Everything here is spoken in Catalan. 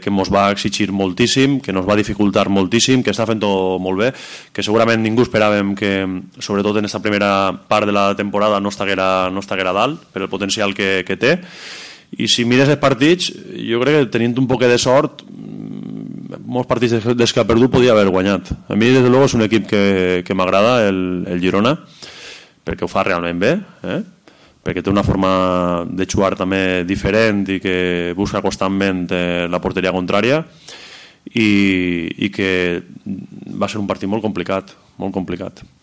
que ens va exigir moltíssim, que ens va dificultar moltíssim, que està fent-ho molt bé, que segurament ningú esperàvem que, sobretot en aquesta primera part de la temporada, no estiguera dalt per el potencial que té. I si mires els partits, jo crec que tenint un poc de sort, molts partits des que ha perdut podia haver guanyat. A mi, des de luego, és un equip que m'agrada, el Girona, perquè ho fa realment bé, perquè té una forma de jugar també diferent i que busca constantment la porteria contrària i que va ser un partit molt complicat, molt complicat.